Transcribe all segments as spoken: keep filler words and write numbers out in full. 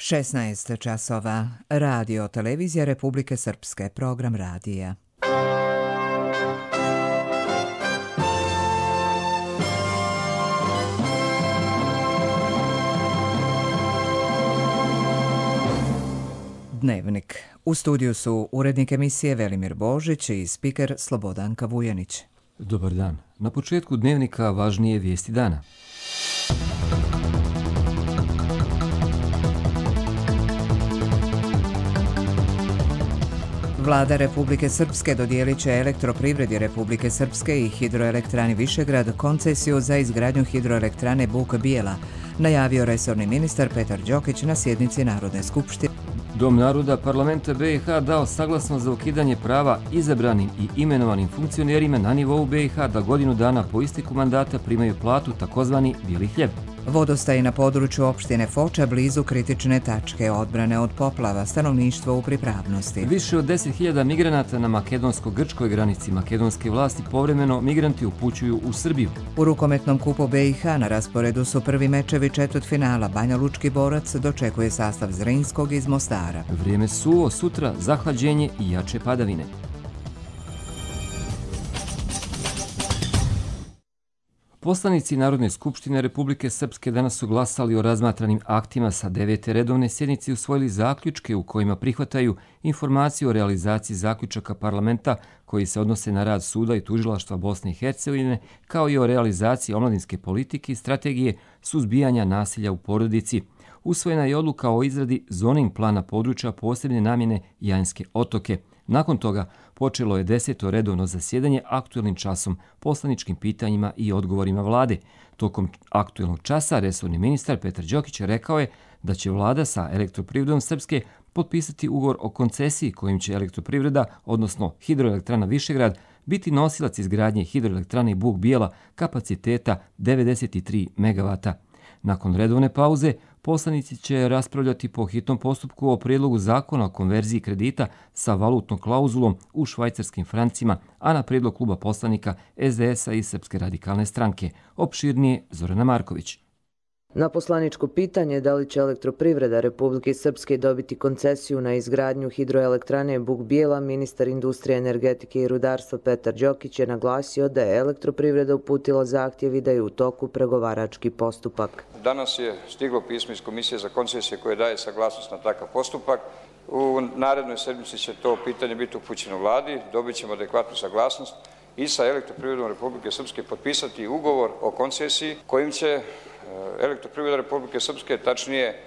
šesnaest časova. Radio Televizija Republike Srpske. Program radija. Dnevnik. U studiju su urednik emisije Velimir Božić i spiker Slobodanka Vujanić. Dobar dan. Na početku dnevnika važnije vijesti dana. Vlada Republike Srpske dodijelit će Elektroprivredi Republike Srpske i Hidroelektrani Višegrad koncesiju za izgradnju hidroelektrane Buk Bijela, najavio resorni ministar Petar Đokić na sjednici Narodne skupštine. Dom naroda parlamenta B i H dao saglasnost za ukidanje prava izabranim i imenovanim funkcionerima na nivou B i H da godinu dana po isteku mandata primaju platu, takozvani bijeli hljeb. Vodostaji na području opštine Foča blizu kritične tačke odbrane od poplava, stanovništvo u pripravnosti. Više od deset hiljada migranata na makedonsko-grčkoj granici makedonske vlasti povremeno migranti upućuju u Srbiju. U rukometnom kupu B i H na rasporedu su prvi mečevi četvrtfinala. Banja Lučki borac dočekuje sastav Zrinskog iz Mostara. Vrijeme suvo, sutra zahlađenje i jače padavine. Poslanici Narodne skupštine Republike Srpske danas su glasali o razmatranim aktima sa devete redovne sjednice i usvojili zaključke u kojima prihvataju informaciju o realizaciji zaključaka parlamenta koji se odnose na rad suda i tužilaštva Bosne i Hercegovine, kao i o realizaciji omladinske politike i strategije suzbijanja nasilja u porodici. Usvojena je odluka o izradi zoning plana područja posebne namjene Janjske otoke. Nakon toga počelo je deseto redovno zasjedanje aktuelnim časom, poslaničkim pitanjima i odgovorima vlade. Tokom aktuelnog časa resorni ministar Petar Đokić rekao je da će vlada sa Elektroprivredom Srpske potpisati ugovor o koncesiji kojim će Elektroprivreda, odnosno Hidroelektrana Višegrad, biti nosilac izgradnje hidroelektrane Buk Bijela kapaciteta devedeset tri megavata. Nakon redovne pauze, poslanici će raspravljati po hitnom postupku o prijedlogu zakona o konverziji kredita sa valutnom klauzulom u švajcarskim francima, a na prijedlog kluba poslanika S D S-a i Srpske radikalne stranke. Opširnije Zorana Marković. Na poslaničko pitanje da li će Elektroprivreda Republike Srpske dobiti koncesiju na izgradnju hidroelektrane Buk Bijela, ministar industrije, energetike i rudarstva Petar Đokić je naglasio da je Elektroprivreda uputila zahtjev i da je u toku pregovarački postupak. Danas je stiglo pismo iz Komisije za koncesije koje daje saglasnost na takav postupak. U narednoj sedmici će to pitanje biti upućeno vladi, dobit ćemo adekvatnu saglasnost i sa Elektroprivredom Republike Srpske potpisati ugovor o koncesiji kojim će Elektroprivreda Republike Srpske, tačnije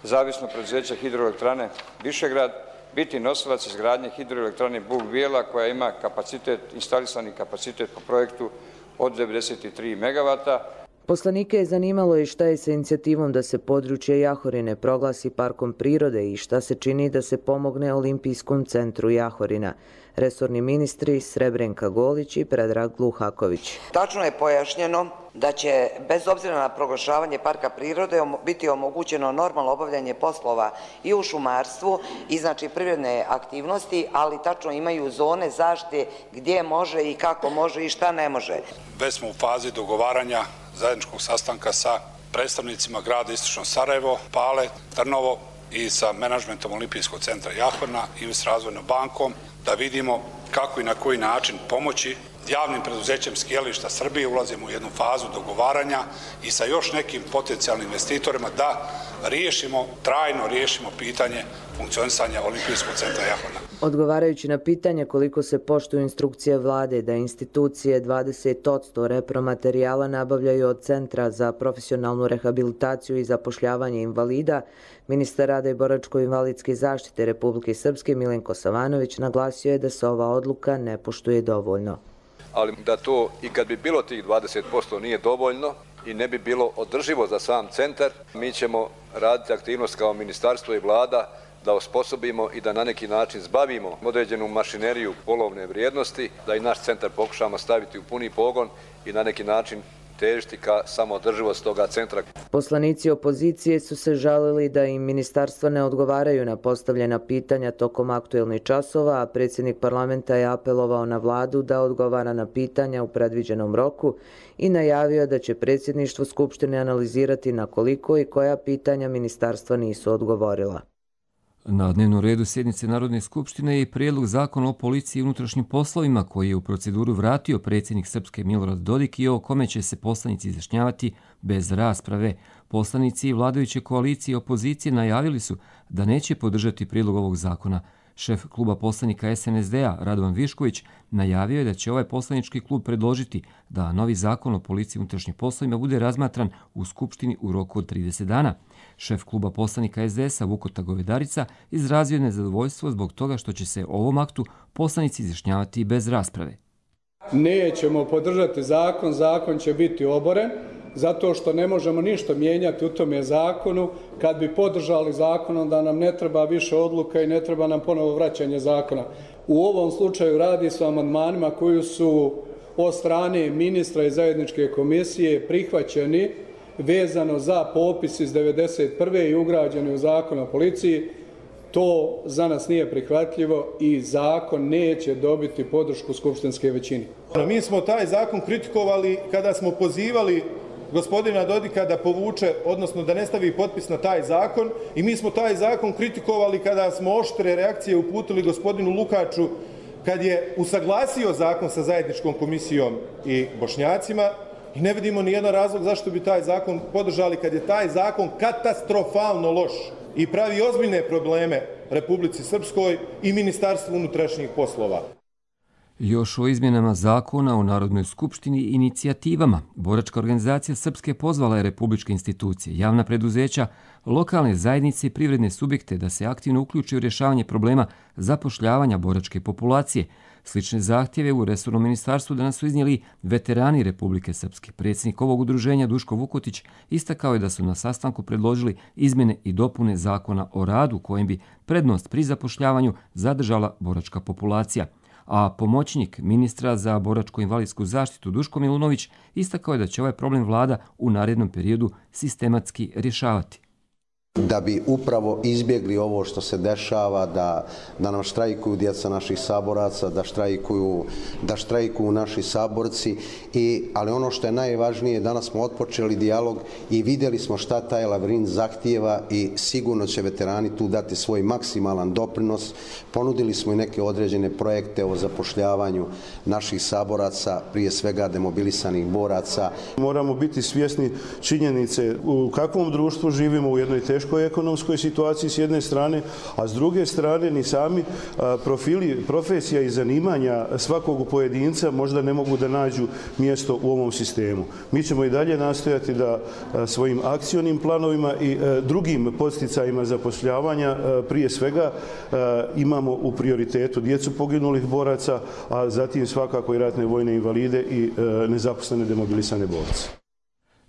zavisno preduzeće Hidroelektrane Višegrad, biti nosilac izgradnje hidroelektrane Buk Bijela koja ima kapacitet, instalisani kapacitet po projektu od devedeset tri megavata. Poslanike je zanimalo i šta je sa inicijativom da se područje Jahorine proglasi parkom prirode i šta se čini da se pomogne Olimpijskom centru Jahorina. Resorni ministri Srebrenka Golić i Predrag Gluhaković. Tačno je pojašnjeno da će, bez obzira na proglašavanje parka prirode, biti omogućeno normalno obavljanje poslova i u šumarstvu i znači privredne aktivnosti, ali tačno imaju zone zaštite gdje može i kako može i šta ne može. Već smo u fazi dogovaranja zajedničkog sastanka sa predstavnicima grada Istočno Sarajevo, Pale, Trnovo i sa menadžmentom Olimpijskog centra Jahorina i s Razvojnom bankom da vidimo kako i na koji način pomoći javnim preduzećem Skijališta Srbije. Ulazimo u jednu fazu dogovaranja i sa još nekim potencijalnim investitorima da riješimo, trajno riješimo pitanje funkcionisanja Olimpijskog centra Jahorina. Odgovarajući na pitanje koliko se poštuju instrukcije vlade da institucije dvadeset posto repromaterijala nabavljaju od Centra za profesionalnu rehabilitaciju i zapošljavanje invalida, ministar rada i boračko-invalidske zaštite Republike Srpske Milenko Savanović naglasio je da se ova odluka ne poštuje dovoljno. Ali da to i kad bi bilo tih dvadeset posto nije dovoljno i ne bi bilo održivo za sam centar, mi ćemo raditi aktivnost kao ministarstvo i vlada da osposobimo i da na neki način zbavimo određenu mašineriju polovne vrijednosti, da i naš centar pokušamo staviti u puni pogon i na neki način težiti ka samoodrživosti toga centra. Poslanici opozicije su se žalili da im ministarstva ne odgovaraju na postavljena pitanja tokom aktuelnih časova, a predsjednik parlamenta je apelovao na vladu da odgovara na pitanja u predviđenom roku i najavio da će predsjedništvo Skupštine analizirati na koliko i koja pitanja ministarstva nisu odgovorila. Na dnevnom redu sjednice Narodne skupštine je i prijedlog zakona o policiji i unutrašnjim poslovima koji je u proceduru vratio predsjednik Srpske Milorad Dodik i o kome će se poslanici izjašnjavati bez rasprave. Poslanici i vladajuće koalicije i opozicije najavili su da neće podržati prijedlog ovog zakona. Šef kluba poslanika es en es de-a Radovan Višković najavio je da će ovaj poslanički klub predložiti da novi zakon o policiji i unutrašnjim poslovima bude razmatran u Skupštini u roku od trideset dana. Šef kluba poslanika es de es-a Vukota Govedarica izrazio je nezadovoljstvo zbog toga što će se o ovom aktu poslanici izjašnjavati bez rasprave. Nećemo podržati zakon, zakon će biti oboren, zato što ne možemo ništa mijenjati u tome zakonu. Kad bi podržali zakon, onda nam ne treba više odluka i ne treba nam ponovo vraćanje zakona. U ovom slučaju radi se o amandmanima koji su od strane ministra i zajedničke komisije prihvaćeni vezano za popis iz devedeset prve i ugrađeni u zakon o policiji. To za nas nije prihvatljivo i zakon neće dobiti podršku skupštinske većine. Mi smo taj zakon kritikovali kada smo pozivali gospodina Dodika da povuče, odnosno da ne stavi potpis na taj zakon, i mi smo taj zakon kritikovali kada smo oštre reakcije uputili gospodinu Lukaču kad je usaglasio zakon sa zajedničkom komisijom i Bošnjacima, i ne vidimo ni jedan razlog zašto bi taj zakon podržali kad je taj zakon katastrofalno loš i pravi ozbiljne probleme Republici Srpskoj i Ministarstvu unutrašnjih poslova. Još o izmjenama zakona o Narodnoj skupštini i inicijativama. Boračka organizacija Srpske pozvala je republičke institucije, javna preduzeća, lokalne zajednice i privredne subjekte da se aktivno uključi u rješavanje problema zapošljavanja boračke populacije. Slične zahtjeve u resornom ministarstvu danas su iznijeli veterani Republike Srpske. Predsjednik ovog udruženja Duško Vukotić istakao je da su na sastanku predložili izmjene i dopune zakona o radu kojim bi prednost pri zapošljavanju zadržala boračka populacija. A pomoćnik ministra za boračko-invalidsku zaštitu Duško Milunović istakao je da će ovaj problem vlada u narednom periodu sistematski rješavati. Da bi upravo izbjegli ovo što se dešava, da, da nam štrajkuju djeca naših saboraca, da štrajkuju, da štrajkuju naši saborci. I, ali ono što je najvažnije, danas smo otpočeli dijalog i vidjeli smo šta taj Lavrin zahtijeva i sigurno će veterani tu dati svoj maksimalan doprinos. Ponudili smo i neke određene projekte o zapošljavanju naših saboraca, prije svega demobilisanih boraca. Moramo biti svjesni činjenice u kakvom društvu živimo, u jednoj teškoj ekonomskoj situaciji s jedne strane, a s druge strane ni sami profili, profesija i zanimanja svakog pojedinca možda ne mogu da nađu mjesto u ovom sistemu. Mi ćemo i dalje nastojati da svojim akcionim planovima i drugim podsticajima zapošljavanja prije svega imamo u prioritetu djecu poginulih boraca, a zatim svakako i ratne vojne invalide i nezaposlene demobilisane borce.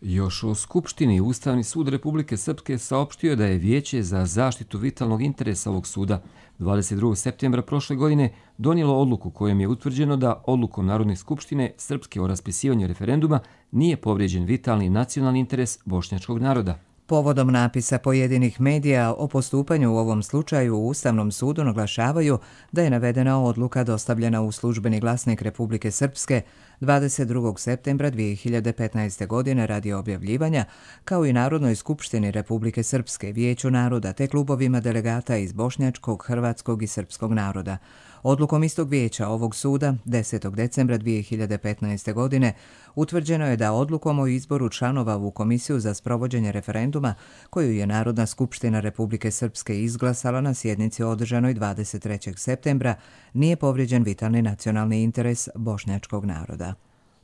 Još o Skupštini Ustavni sud Republike Srpske saopštio je da je Vijeće za zaštitu vitalnog interesa ovog suda dvadeset drugog septembra prošle godine donijelo odluku kojom je utvrđeno da odlukom Narodne skupštine Srpske o raspisivanju referenduma nije povrijeđen vitalni nacionalni interes bošnjačkog naroda. Povodom napisa pojedinih medija o postupanju u ovom slučaju u Ustavnom sudu naglašavaju da je navedena odluka dostavljena u službeni glasnik Republike Srpske dvadeset drugog septembra dvije hiljade petnaeste. godine radi objavljivanja, kao i Narodnoj skupštini Republike Srpske, Vijeću naroda te klubovima delegata iz bošnjačkog, hrvatskog i srpskog naroda. Odlukom istog vijeća ovog suda desetog decembra dvije hiljade petnaeste. godine utvrđeno je da odlukom o izboru članova u Komisiju za sprovođenje referenduma, koju je Narodna skupština Republike Srpske izglasala na sjednici održanoj dvadeset trećeg septembra, nije povrijeđen vitalni nacionalni interes bošnjačkog naroda.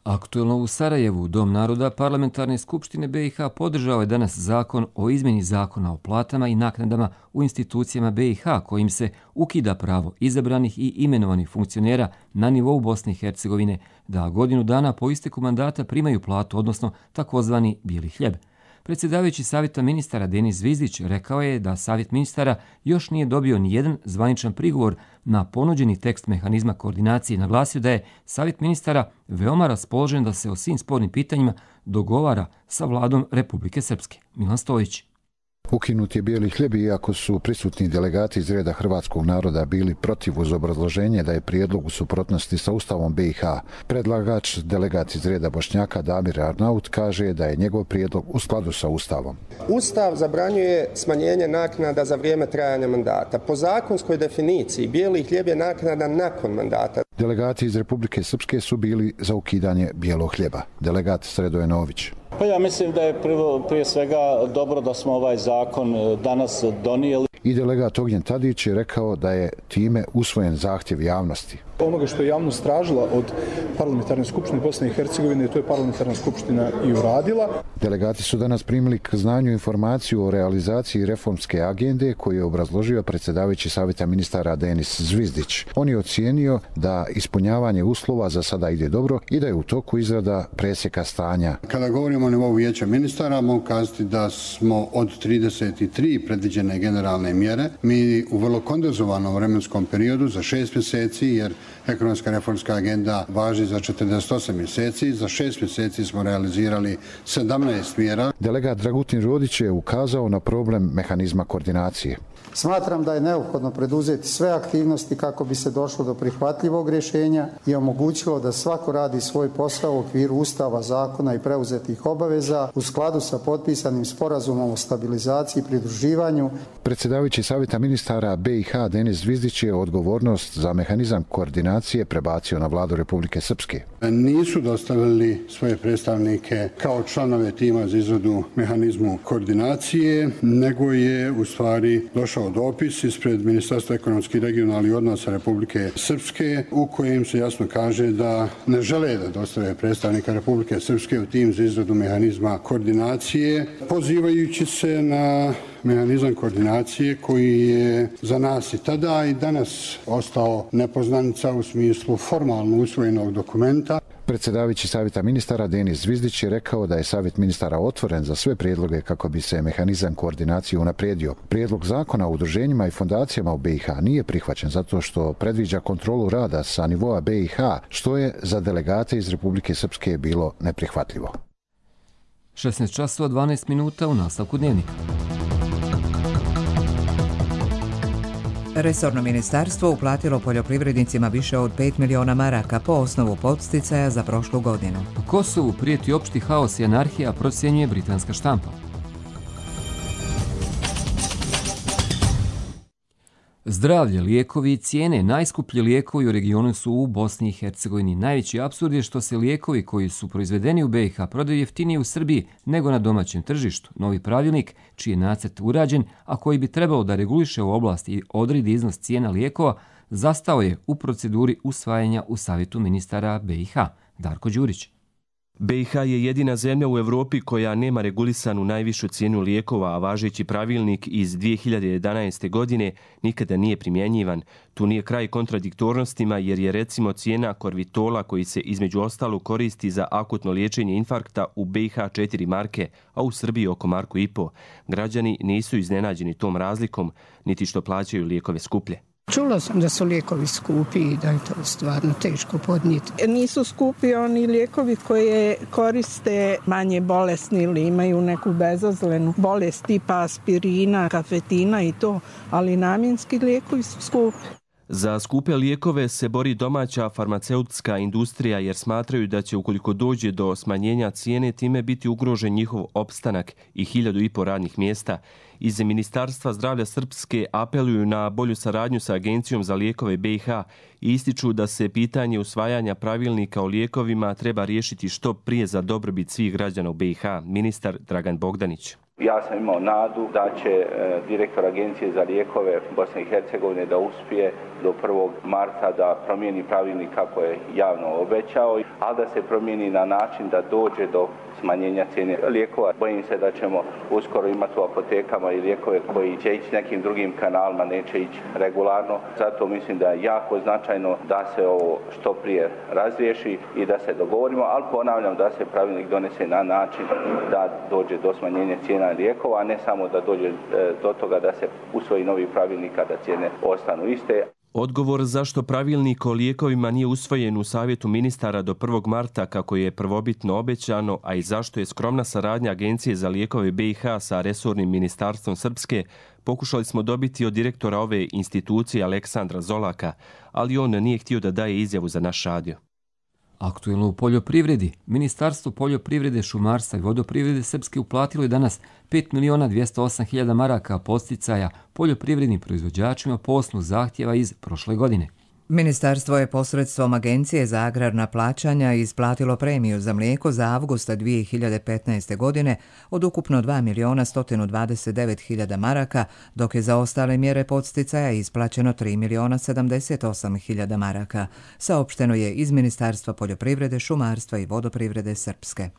Aktuelno u Sarajevu, Dom naroda Parlamentarne skupštine be i ha podržao je danas zakon o izmjeni zakona o platama i naknadama u institucijama be i ha kojim se ukida pravo izabranih i imenovanih funkcionera na nivou Bosne i Hercegovine da godinu dana po isteku mandata primaju platu, odnosno takozvani bijeli hljeb. Predsjedavajući Savjeta ministara Denis Zvizdić rekao je da Savjet ministara još nije dobio ni jedan zvaničan prigovor na ponuđeni tekst mehanizma koordinacije i naglasio da je Savjet ministara veoma raspoložen da se o svim spornim pitanjima dogovara sa vladom Republike Srpske. Milan Stojić. Ukinut je bijeli hljeb iako su prisutni delegati iz reda hrvatskog naroda bili protiv uz obrazloženje da je prijedlog u suprotnosti sa Ustavom B i H. Predlagač, delegat iz reda Bošnjaka Damir Arnaut, kaže da je njegov prijedlog u skladu sa Ustavom. Ustav zabranjuje smanjenje naknada za vrijeme trajanja mandata. Po zakonskoj definiciji bijeli hljeb je naknada nakon mandata. Delegati iz Republike Srpske su bili za ukidanje bijelog hljeba. Delegat Sredoje Nović. Pa ja mislim da je prvo, prije svega dobro da smo ovaj zakon danas donijeli. I delegat Ognjen Tadić je rekao da je time usvojen zahtjev javnosti. Onoga što je javnost tražila od Parlamentarne skupštine Bosne i Hercegovine, to je Parlamentarna skupština i uradila. Delegati su danas primili k znanju informaciju o realizaciji reformske agende koju je obrazložio predsjedavajući Savjeta ministara Denis Zvizdić. On je ocijenio da ispunjavanje uslova za sada ide dobro i da je u toku izrada presjeka stanja. Kada govorimo o nivou vijeća ministara, mogu kazati da smo od trideset tri predviđene generalne mjere, mi u vrlo kondenzovanom vremenskom periodu za šest mjeseci, jer ekonomska reformska agenda važi za četrdeset osam mjeseci, za šest mjeseci smo realizirali sedamnaest mjera. Delegat Dragutin Rodić je ukazao na problem mehanizma koordinacije. Smatram da je neophodno preduzeti sve aktivnosti kako bi se došlo do prihvatljivog rješenja i omogućilo da svako radi svoj posao u okviru Ustava, zakona i preuzetih obaveza u skladu sa potpisanim sporazumom o stabilizaciji i pridruživanju. Predsjedavajući Savjeta ministara B i H Denis Zvizdić je odgovornost za mehanizam koordinacije prebacio na vladu Republike Srpske. Nisu dostavili svoje predstavnike kao članove tima za izradu mehanizmu koordinacije, nego je u stvari došao dopis ispred Ministarstva ekonomskih i regionalnih odnosa Republike Srpske u kojem se jasno kaže da ne žele da dostave predstavnika Republike Srpske u tim za izradu mehanizma koordinacije, pozivajući se na mehanizam koordinacije koji je za nas i tada i danas ostao nepoznanica u smislu formalno usvojenog dokumenta. Predsjedavajući Savjeta ministara Denis Zvizdić je rekao da je Savjet ministara otvoren za sve prijedloge kako bi se mehanizam koordinacije unaprijedio. Prijedlog zakona o udruženjima i fondacijama u B i H nije prihvaćen zato što predviđa kontrolu rada sa nivoa B i H, što je za delegate iz Republike Srpske bilo neprihvatljivo. šesnaest časova dvanaest minuta u nastavku dnevnika. Resorno ministarstvo uplatilo poljoprivrednicima više od pet miliona maraka po osnovu podsticaja za prošlu godinu. U Kosovu prijeti opšti haos i anarhija, procjenjuje britanska štampa. Zdravlje, lijekovi i cijene. Najskuplji lijekovi u regionu su u Bosni i Hercegovini. Najveći apsurd je što se lijekovi koji su proizvedeni u B i H prodaju jeftinije u Srbiji nego na domaćem tržištu. Novi pravilnik, čiji je nacrt urađen, a koji bi trebalo da reguliše u oblasti i odredi iznos cijena lijekova, zastao je u proceduri usvajanja u Savjetu ministara B i H. Darko Đurić. B i H je jedina zemlja u Evropi koja nema regulisanu najvišu cijenu lijekova, a važeći pravilnik iz dvije hiljade jedanaeste. godine nikada nije primjenjivan. Tu nije kraj kontradiktornostima jer je recimo cijena korvitola koji se između ostalog koristi za akutno liječenje infarkta u B i H četiri marke, a u Srbiji oko marku i po. Građani nisu iznenađeni tom razlikom, niti što plaćaju lijekove skuplje. Čula sam da su lijekovi skupi i da je to stvarno teško podnijeti. Nisu skupi oni lijekovi koje koriste manje bolesni ili imaju neku bezazlenu bolest tipa aspirina, kafetina i to, ali namjenski lijekovi su skupi. Za skupe lijekove se bori domaća farmaceutska industrija jer smatraju da će ukoliko dođe do smanjenja cijene time biti ugrožen njihov opstanak i hiljadu i po radnih mjesta. Iz Ministarstva zdravlja Srpske apeluju na bolju saradnju sa Agencijom za lijekove B i H i ističu da se pitanje usvajanja pravilnika o lijekovima treba riješiti što prije za dobrobit svih građana u B i H. Ministar Dragan Bogdanić. Ja sam imao nadu da će e, direktor Agencije za lijekove Bosne i Hercegovine da uspije do prvog marta da promijeni pravilnik kako je javno obećao, ali da se promijeni na način da dođe do smanjenja cijene lijekova. Bojim se da ćemo uskoro imati u apotekama i lijekove koji će ići nekim drugim kanalima, neće ići regularno. Zato mislim da je jako značajno da se ovo što prije razriješi i da se dogovorimo, ali ponavljam da se pravilnik donese na način da dođe do smanjenja cijena lijekova, a ne samo da dođe do toga da se usvoji novi pravilnik da cijene ostanu iste. Odgovor zašto pravilnik o lijekovima nije usvojen u Savjetu ministara do prvog marta kako je prvobitno obećano, a i zašto je skromna saradnja Agencije za lijekove B i H sa resornim ministarstvom Srpske, pokušali smo dobiti od direktora ove institucije Aleksandra Zolaka, ali on nije htio da daje izjavu za naš radio. Aktuelno u poljoprivredi. Ministarstvo poljoprivrede, šumarstva i vodoprivrede Srpske uplatilo je danas pet miliona dvjesto osam hiljada maraka podsticaja poljoprivrednim proizvođačima po osnovu zahtjeva iz prošle godine. Ministarstvo je posredstvom Agencije za agrarna plaćanja isplatilo premiju za mlijeko za avgusta dvije hiljade petnaeste. godine od ukupno dva miliona sto dvadeset devet hiljada maraka, dok je za ostale mjere podsticaja isplaćeno tri miliona sedamdeset osam hiljada maraka, saopšteno je iz Ministarstva poljoprivrede, šumarstva i vodoprivrede Srpske.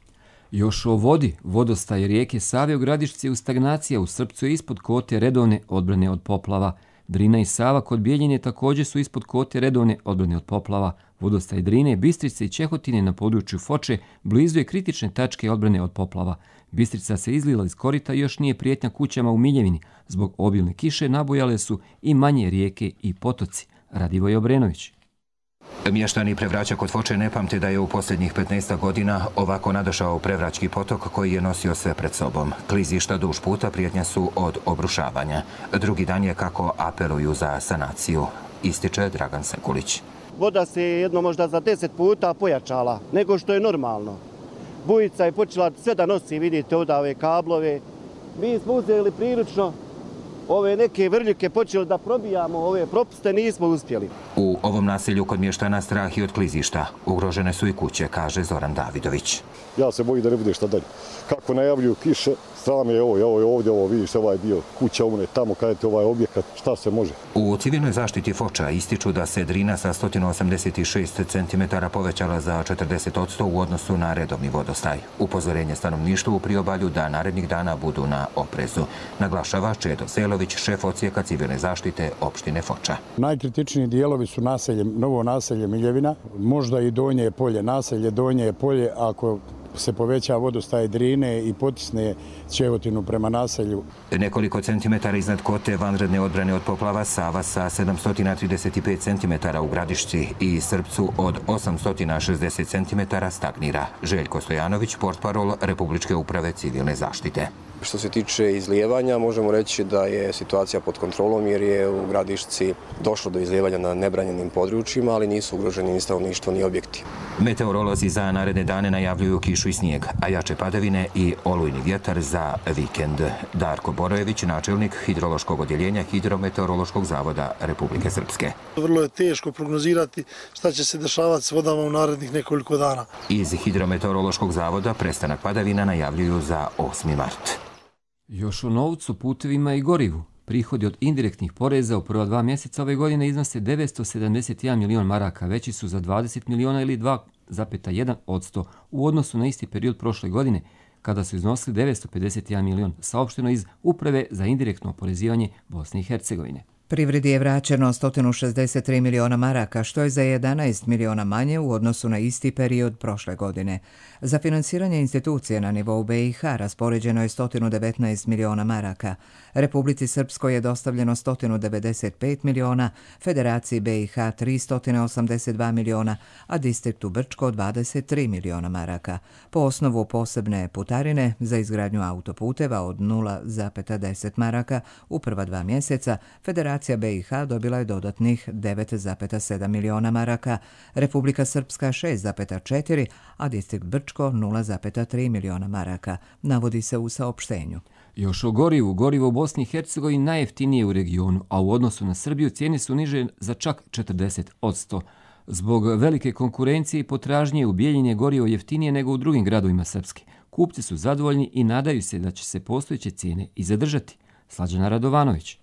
Još o vodi. Vodostaj rijeke Save u Gradišci u stagnaciji, u Srpcu je ispod kote redovne odbrane od poplava. Drina i Sava kod Bijeljine također su ispod kote redovne odbrane od poplava. Vodostaj Drine, Bistrice i Čehotine na području Foče blizu je kritične tačke odbrane od poplava. Bistrica se izlila iz korita i još nije prijetnja kućama u Miljevini. Zbog obilne kiše nabujale su i manje rijeke i potoci. Radivoj Obrenović. Mještani Prevraća kod Foče ne pamte da je u posljednjih petnaest godina ovako nadošao Prevraćki potok koji je nosio sve pred sobom. Klizišta duž puta prijetnja su od obrušavanja. Drugi dan je kako apeluju za sanaciju, ističe Dragan Sekulić. Voda se jedno možda za deset puta pojačala nego što je normalno. Bujica je počela sve da nosi, vidite ovdje ove kablove. Mi smo uzeli prilično ove neke vrljike, počeli da probijamo ove propuste, nismo uspjeli. U ovom naselju kod mještana strah i od klizišta. Ugrožene su i kuće, kaže Zoran Davidović. Ja se bojim da ne bude šta dalje. Kako najavljuju kiše, stran je ovo, ovo je ovdje, ovo vidiš ovaj dio kuća umne, tamo kada je ovaj objekat, šta se može. U civilnoj zaštiti Foča ističu da se Drina sa sto osamdeset šest centimetara povećala za četrdeset posto u odnosu na redovni vodostaj. Upozorenje stanovništvu u priobalju da narednih dana budu na oprezu. Naglašava Čedo Selović, šef odsjeka civilne zaštite opštine Foča. Najkritičniji dijelovi su naselje, novo naselje Miljevina, možda i Donje polje, naselje Donje polje, ako se poveća vodostaj Drine i potisne Čehotinu prema naselju. Nekoliko centimetara iznad kote vanredne odbrane od poplava Sava sa sedamsto trideset pet centimetara u Gradišci i Srpcu od osamsto šezdeset centimetara stagnira. Željko Stojanović, portparol Republičke uprave civilne zaštite. Što se tiče izlijevanja, možemo reći da je situacija pod kontrolom jer je u Gradišci došlo do izlijevanja na nebranjenim područjima, ali nisu ugroženi ni stanovništvo ni objekti. Meteorolozi za naredne dane najavljuju kišu i snijeg, a jače padavine i olujni vjetar za vikend. Darko Borojević, načelnik hidrološkog odjeljenja Hidrometeorološkog zavoda Republike Srpske. Vrlo je teško prognozirati šta će se dešavati s vodama u narednih nekoliko dana. Iz Hidrometeorološkog zavoda prestanak padavina najavljuju za osmi mart. Još o novcu, putevima i gorivu. Prihodi od indirektnih poreza u prva dva mjeseca ove godine iznose devetsto sedamdeset jedan milion maraka, veći su za dvadeset miliona ili dva zarez jedan posto u odnosu na isti period prošle godine, kada su iznosili devetsto pedeset jedan milion, saopšteno iz Uprave za indirektno oporezivanje Bosne i Hercegovine. Privredi je vraćeno sto šezdeset tri miliona maraka, što je za jedanaest miliona manje u odnosu na isti period prošle godine. Za finansiranje institucije na nivou B i H raspoređeno je sto devetnaest miliona maraka. Republici Srpskoj je dostavljeno sto devedeset pet miliona, Federaciji B i H tristo osamdeset dva miliona, a distriktu Brčko dvadeset tri miliona maraka. Po osnovu posebne putarine za izgradnju autoputeva od nula zarez deset maraka u prva dva mjeseca, Federacija B i H dobila je dodatnih devet zarez sedam miliona maraka, Republika Srpska šest zarez četiri, a distrikt Brčko nula zarez tri miliona maraka, navodi se u saopštenju. Još o gorivu. Gorivo u Bosni i Hercegovini najjeftinije u regionu, a u odnosu na Srbiju cijene su niže za čak četrdeset posto. Zbog velike konkurencije i potražnje u Bijeljini je gorivo jeftinije nego u drugim gradovima Srpske. Kupci su zadovoljni i nadaju se da će se postojeće cijene i zadržati. Slađana Radovanović.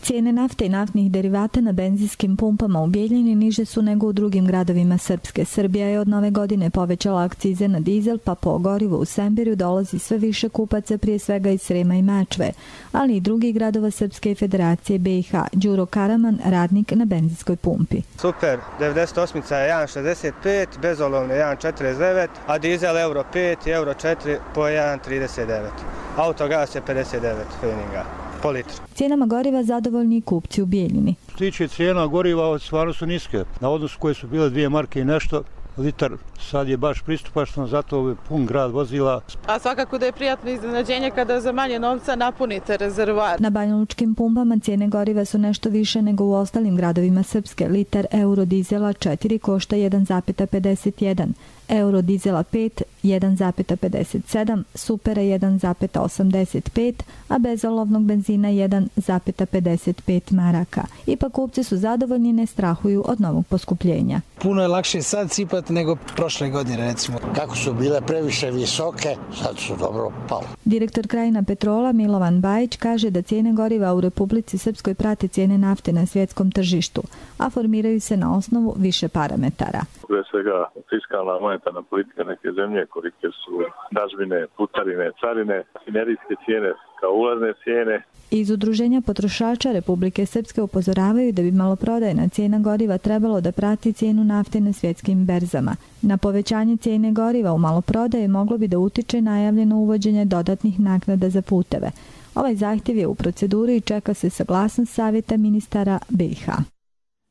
Cijene nafte i naftnih derivata na benzinskim pumpama u Bijeljini niže su nego u drugim gradovima Srpske. Srbija je od nove godine povećala akcize na dizel, pa po gorivu u Semberju dolazi sve više kupaca, prije svega iz Srema i Mačve, ali i drugih gradova Srpske Federacije B i H. Đuro Karaman, radnik na benzinskoj pumpi. Super, devedeset osam je jedan šezdeset pet, bezolovne jedan četrdeset devet, a dizel euro pet i euro četiri po jedan trideset devet. Autogas je pedeset devet feninga. Po litru. Cijenama goriva zadovoljni i kupci u Bijeljini. Što tiče cijena goriva, stvarno su niske. Na odnosu koje su bile dvije marke i nešto, litar sad je baš pristupačno, zato je pun grad vozila. A svakako da je prijatno iznenađenje kada za manje novca napunite rezervoar. Na banjalučkim pumpama cijene goriva su nešto više nego u ostalim gradovima Srpske. Litar euro dizela četiri košta jedan zarez pedeset jedan, euro dizela pet jedan zarez pedeset sedam, supera jedan zarez osamdeset pet, a bezolovnog benzina jedan zarez pedeset pet maraka. Ipak kupci su zadovoljni, ne strahuju od novog poskupljenja. Puno je lakše sad sipati nego prošle godine, recimo. Kako su bile previše visoke, sad su dobro pale. Direktor Krajina Petrola Milovan Bajić kaže da cijene goriva u Republici Srpskoj prate cijene nafte na svjetskom tržištu, a formiraju se na osnovu više parametara. Pre svega fiskalna monetarna politika neke zemlje, kolike su dažbine, putarine, carine, finerijske cijene kao ulazne cijene. Iz Udruženja potrošača Republike Srpske upozoravaju da bi maloprodajna cijena goriva trebalo da prati cijenu nafte na svjetskim berzama. Na povećanje cijene goriva u maloprodaji moglo bi da utiče najavljeno uvođenje dodatnih naknada za puteve. Ovaj zahtjev je u proceduri i čeka se saglasnost Savjeta ministara B i H.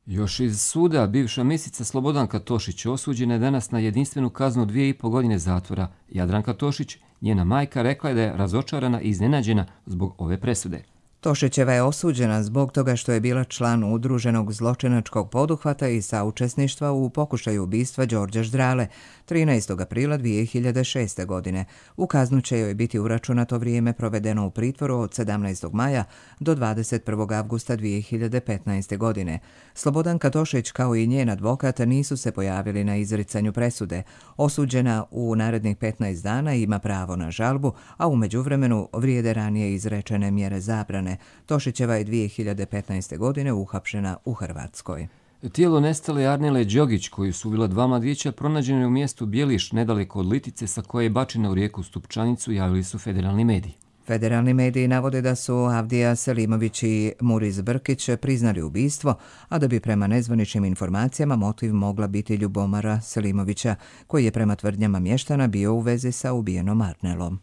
Još iz suda, bivša ministrica Slobodanka Tošić osuđena je danas na jedinstvenu kaznu dvije i po godine zatvora. Jadranka Tošić, njena majka, rekla je da je razočarana i iznenađena zbog ove presude. Tošićeva je osuđena zbog toga što je bila član udruženog zločinačkog poduhvata i saučesništva u pokušaju ubistva Đorđa Ždrale trinaestog aprila dvije hiljade šeste. godine. U kaznu će joj biti uračunato vrijeme provedeno u pritvoru od sedamnaestog maja do dvadeset prvog avgusta dvije hiljade petnaeste. godine. Slobodanka Tošić kao i njen advokat nisu se pojavili na izricanju presude. Osuđena u narednih petnaest dana ima pravo na žalbu, a u međuvremenu vrijede ranije izrečene mjere zabrane. Tošićeva je dvije hiljade petnaeste. godine uhapšena u Hrvatskoj. Tijelo nestale Arnele Đogić, koju su ubila dva mladića, pronađeno je u mjestu Bjeliš, nedaleko od Litice, sa koje je bačena u rijeku Stupčanicu, javili su federalni mediji. Federalni mediji navode da su Avdija Selimović i Muriz Brkić priznali ubistvo, a da bi prema nezvaničnim informacijama motiv mogla biti Ljubomara Selimovića, koji je prema tvrdnjama mještana bio u vezi sa ubijenom Arnelom.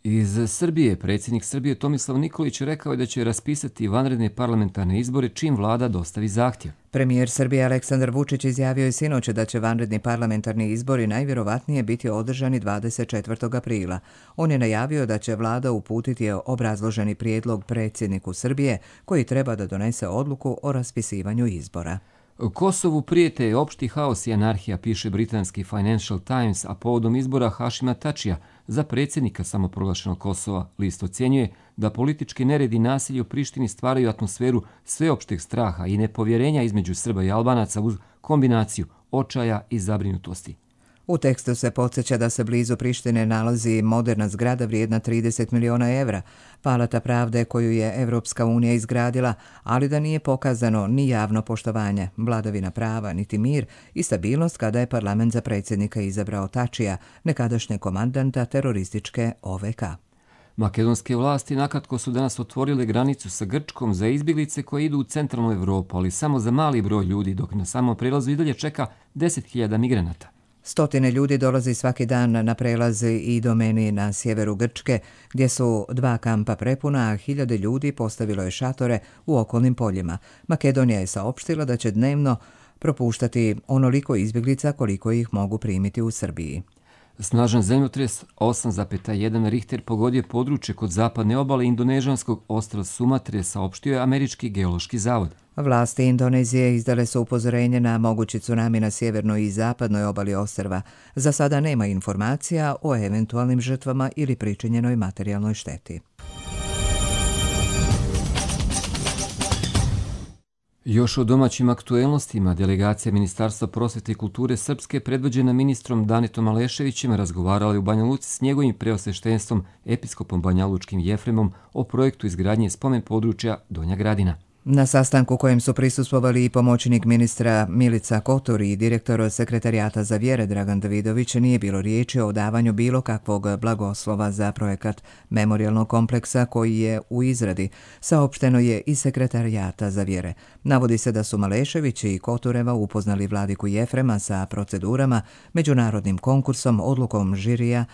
Iz Srbije, predsjednik Srbije Tomislav Nikolić rekao je da će raspisati vanredne parlamentarne izbore čim vlada dostavi zahtjev. Premijer Srbije Aleksandar Vučić izjavio je sinoć da će vanredni parlamentarni izbori najvjerovatnije biti održani dvadeset četvrtog aprila. On je najavio da će vlada uputiti obrazloženi prijedlog predsjedniku Srbije, koji treba da donese odluku o raspisivanju izbora. Kosovu prijete opšti haos i anarhija, piše britanski Financial Times, a povodom izbora Hašima Tačija za predsjednika samoproglašenog Kosova. List ocjenjuje da politički nered i nasilje u Prištini stvaraju atmosferu sveopšteg straha i nepovjerenja između Srba i Albanaca uz kombinaciju očaja i zabrinutosti. U tekstu se podsjeća da se blizu Prištine nalazi moderna zgrada vrijedna trideset miliona evra, Palata pravde koju je Evropska unija izgradila, ali da nije pokazano ni javno poštovanje, vladavina prava, niti mir i stabilnost kada je parlament za predsjednika izabrao Tačija, nekadašnje komandanta terorističke O V K. Makedonske vlasti nakratko su danas otvorile granicu sa Grčkom za izbjeglice koje idu u centralnu Evropu, ali samo za mali broj ljudi, dok na samom prelazu i dalje čeka deset hiljada migranata. Stotine ljudi dolazi svaki dan na prelaze i do meni na sjeveru Grčke, gdje su dva kampa prepuna, a hiljade ljudi postavilo je šatore u okolnim poljima. Makedonija je saopštila da će dnevno propuštati onoliko izbjeglica koliko ih mogu primiti u Srbiji. Snažan zemljotres osam zarez jedan Richter pogodio područje kod zapadne obale indonežanskog ostrva Sumatre, saopštio je Američki geološki zavod. Vlasti Indonezije izdale su upozorenje na mogući tsunami na sjevernoj i zapadnoj obali ostrva. Za sada nema informacija o eventualnim žrtvama ili pričinjenoj materijalnoj šteti. Još o domaćim aktuelnostima, delegacija Ministarstva prosvete i kulture Srpske predvođena ministrom Danitom Aleševićem razgovarala u Banja Luci s njegovim preosveštenstvom episkopom banjalučkim Jefremom o projektu izgradnje spomen područja Donja Gradina. Na sastanku kojem su prisustvovali i pomoćnik ministra Milica Kotor i direktor sekretarijata za vjere Dragan Davidović, nije bilo riječi o davanju bilo kakvog blagoslova za projekat memorijalnog kompleksa koji je u izradi, saopšteno je iz sekretarijata za vjere. Navodi se da su Malešević i Kotoreva upoznali vladiku Jefrema sa procedurama, međunarodnim konkursom, odlukom žirija,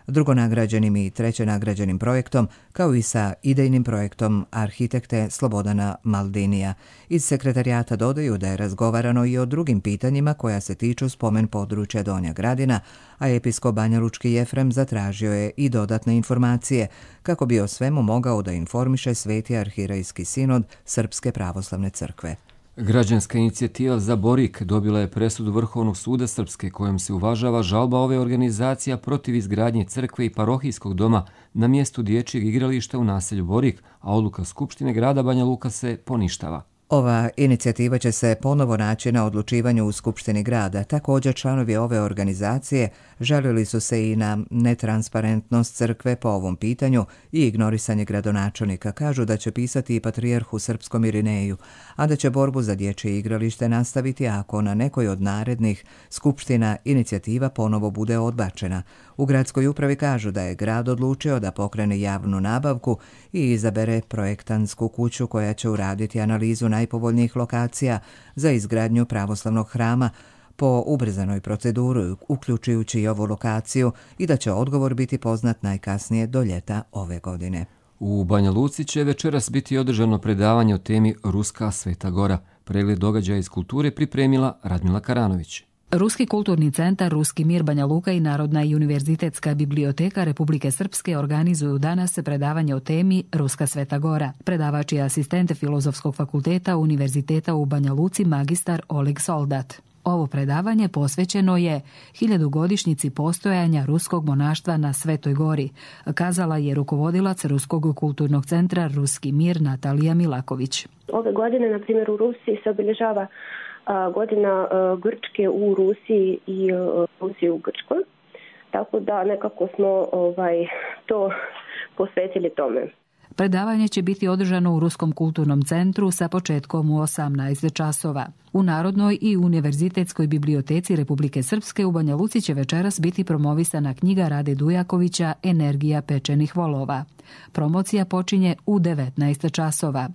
drugonagrađenim i trećenagrađenim projektom, kao i sa idejnim projektom arhitekte Slobodana Maldinija. Iz sekretarijata dodaju da je razgovarano i o drugim pitanjima koja se tiču spomen područja Donja Gradina, a episkop banjalučki Jefrem zatražio je i dodatne informacije kako bi o svemu mogao da informiše Sveti arhirejski sinod Srpske pravoslavne crkve. Građanska inicijativa za Borik dobila je presudu Vrhovnog suda Srpske kojom se uvažava žalba ove organizacija protiv izgradnje crkve i parohijskog doma na mjestu dječjeg igrališta u naselju Borik, a odluka Skupštine grada Banja Luka se poništava. Ova inicijativa će se ponovo naći na odlučivanju u Skupštini grada. Također članovi ove organizacije žalili su se i na netransparentnost crkve po ovom pitanju i ignorisanje gradonačelnika. Kažu da će pisati i patrijarhu srpskom Irineju, a da će borbu za dječje igralište nastaviti ako na nekoj od narednih skupština inicijativa ponovo bude odbačena. U gradskoj upravi kažu da je grad odlučio da pokrene javnu nabavku i izabere projektansku kuću koja će uraditi analizu najpovoljnijih lokacija za izgradnju pravoslavnog hrama po ubrzanoj proceduri, uključujući i ovu lokaciju, i da će odgovor biti poznat najkasnije do ljeta ove godine. U Banja Luci će večeras biti održano predavanje o temi Ruska Sveta Gora. Pregled događaja iz kulture pripremila Radmila Karanović. Ruski kulturni centar Ruski mir Banja Luka i Narodna i univerzitetska biblioteka Republike Srpske organizuju danas predavanje o temi Ruska Sveta Gora. Predavač je asistent Filozofskog fakulteta Univerziteta u Banja Luci magistar Oleg Soldat. Ovo predavanje posvećeno je hiljadugodišnjici postojanja ruskog monaštva na Svetoj Gori, kazala je rukovodilac Ruskog kulturnog centra Ruski mir Natalija Milaković. Ove godine, na primjer, u Rusiji se obilježava godina Grčke u Rusiji i Rusije u Grčkoj. Tako da nekako smo ovaj, to posvetili tome. Predavanje će biti održano u Ruskom kulturnom centru sa početkom u osamnaest časova. U Narodnoj i univerzitetskoj biblioteci Republike Srpske u Banja Luci će večeras biti promovisana knjiga Rade Dujakovića Energija pečenih volova. Promocija počinje u devetnaest časova.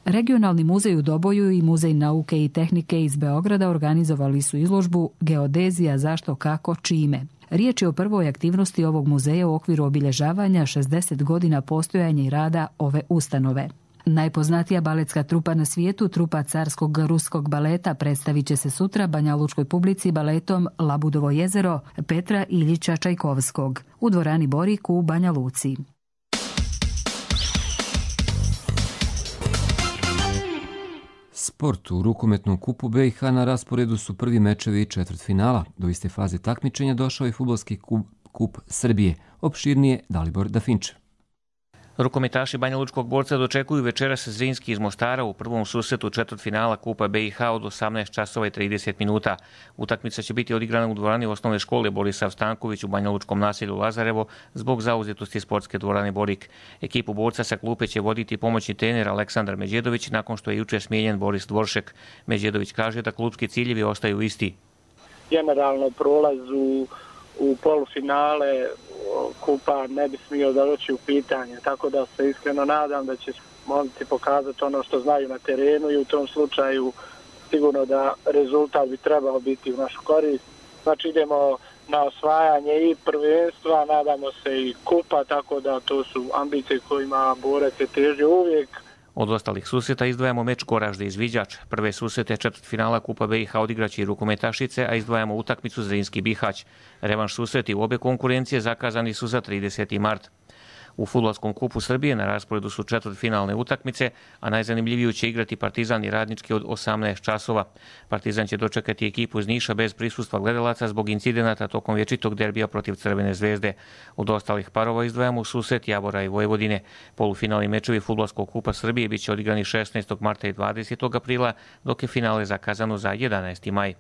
Regionalni muzej u Doboju i Muzej nauke i tehnike iz Beograda organizovali su izložbu Geodezija zašto, kako, čime. Riječ je o prvoj aktivnosti ovog muzeja u okviru obilježavanja šezdeset godina postojanja i rada ove ustanove. Najpoznatija baletska trupa na svijetu, trupa carskog ruskog baleta, predstavit će se sutra banjalučkoj publici baletom Labudovo jezero Petra Iljića Čajkovskog u dvorani Borik u Banja Luci. Sport. U rukometnom kupu B i H na rasporedu su prvi mečevi četvrtfinala. Do iste faze takmičenja došao je fudbalski kup, kup Srbije. Opširnije Dalibor Dafinčev. Rukometaši banjalučkog borca dočekuju večeras Zrinski iz Mostara u prvom susretu četvrtfinala Kupa B i H od osamnaest časova i trideset minuta. Utakmica će biti odigrana u dvorani osnovne škole Borisav Stanković u banjalučkom naselju Lazarevo zbog zauzetosti sportske dvorane Borik. Ekipu borca sa klupe će voditi pomoćni trener Aleksandar Međedović nakon što je juče smijenjen Boris Dvoršek. Međedović kaže da klubski ciljevi ostaju isti. Generalno prolaz u, u polufinale Kupa ne bi smio doći u pitanje, tako da se iskreno nadam da će momci pokazati ono što znaju na terenu i u tom slučaju sigurno da rezultat bi trebao biti u našu korist. Znači idemo na osvajanje i prvenstva, nadamo se i Kupa, tako da to su ambicije kojima borac se teži uvijek. Od ostalih susreta izdvajamo meč Goražde izviđač. Prve susrete četvrtfinala Kupa B i H odigraće i rukometašice, a izdvajamo utakmicu Zrinski Bihać. Revanš susreti u obe konkurencije zakazani su za trideseti mart. U Fudbalskom kupu Srbije na rasporedu su četvrtfinalne utakmice, a najzanimljiviju će igrati Partizan i Radnički od osamnaest časova. Partizan će dočekati ekipu iz Niša bez prisustva gledalaca zbog incidenata tokom vječitog derbija protiv Crvene zvezde. Od ostalih parova izdvajamo susret Jabora i Vojvodine. Polufinalni mečevi Fudbalskog kupa Srbije biće odigrani šesnaestog marta i dvadesetog aprila, dok je finale zakazano za jedanaesti maj.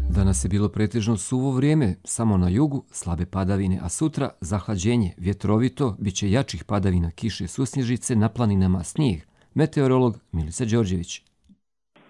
Danas je bilo pretežno suvo vrijeme, samo na jugu slabe padavine, a sutra zahlađenje, vjetrovito, bit će jačih padavina, kiše, susnježice, na planinama snijeg. Meteorolog Milica Đorđević.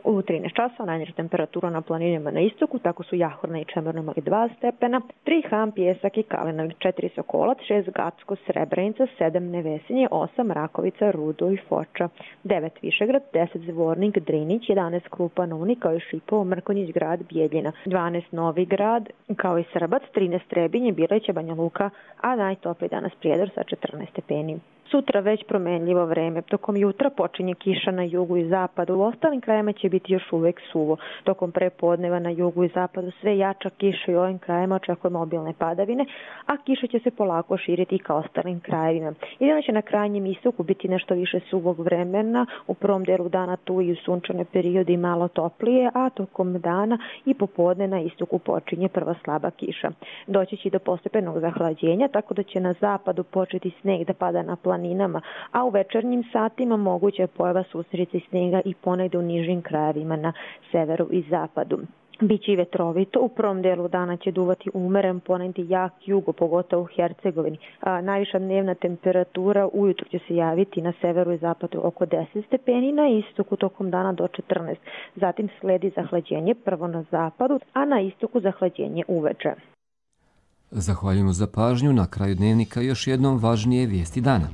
U trinaest časova najniža temperatura na planinama na istoku, tako su Jahorna i Čemerno imali dva stepena, tri Ham, Pijesak i Kalinović, četiri Sokolac, šest Gacko, Srebrenica, sedam Nevesinje, osam Rakovica, Rudo i Foča, devet Višegrad, deset Zvornik, Drinić, jedanaest Krupan, Uni, kao i Šipovo, Mrkonjić, grad, Bijeljina, dvanaest Novi Grad, kao i Srbac, trinaest Trebinje, Bileće, Banja Luka, a najtopliji danas Prijedor sa četrnaest stepeni. Sutra već promenljivo vreme. Tokom jutra počinje kiša na jugu i zapadu. U ostalim krajima će biti još uvek suvo. Tokom prepodneva na jugu i zapadu sve jača kiša i u ovim krajima očekujemo obilne padavine, a kiša će se polako širiti i ka ostalim krajevima. Jedino će na krajnjem istoku biti nešto više suvog vremena, u prvom delu dana tu i u sunčane periodi malo toplije, a tokom dana i popodne na istoku počinje prva slaba kiša. Doći će do postepenog zahlađenja, tako da će na zapadu početi sneg da pada na planinama, a u večernjim satima moguća je pojava susreća snega i ponegde u nižim krajevima na severu i zapadu. Biće i vetrovito, u prvom delu dana će duvati umeren, ponegde jak jugo, pogotovo u Hercegovini. A, najviša dnevna temperatura ujutru će se javiti na severu i zapadu oko deset stepeni, na istoku tokom dana do četrnaest. Zatim sledi zahlađenje prvo na zapadu, a na istoku zahlađenje uveče. Zahvaljujemo za pažnju. Na kraju dnevnika još jednom važnije vijesti dana.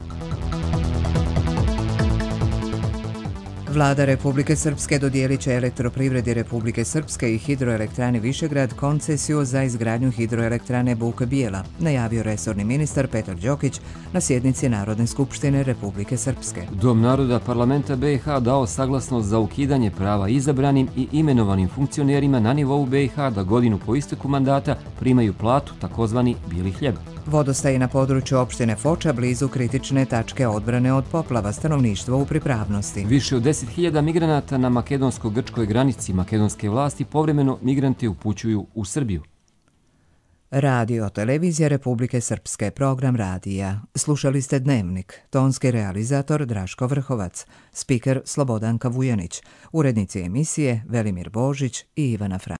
Vlada Republike Srpske dodijelit će Elektroprivredi Republike Srpske i Hidroelektrani Višegrad koncesiju za izgradnju hidroelektrane Buk Bijela, najavio resorni ministar Petar Đokić na sjednici Narodne skupštine Republike Srpske. Dom naroda parlamenta B i H dao saglasnost za ukidanje prava izabranim i imenovanim funkcionerima na nivou B i H da godinu po isteku mandata primaju platu, takozvani bijeli hljeb. Vodostaji na području opštine Foča blizu kritične tačke odbrane od poplava, stanovništvo u pripravnosti. Više od deset hiljada migranata na makedonsko-grčkoj granici. Makedonske vlasti povremeno migrante upućuju u Srbiju. Radio Televizija Republike Srpske, program radija. Slušali ste Dnevnik, tonski realizator Draško Vrhovac, spiker Slobodanka Vujanić, urednici emisije Velimir Božić i Ivana Frank.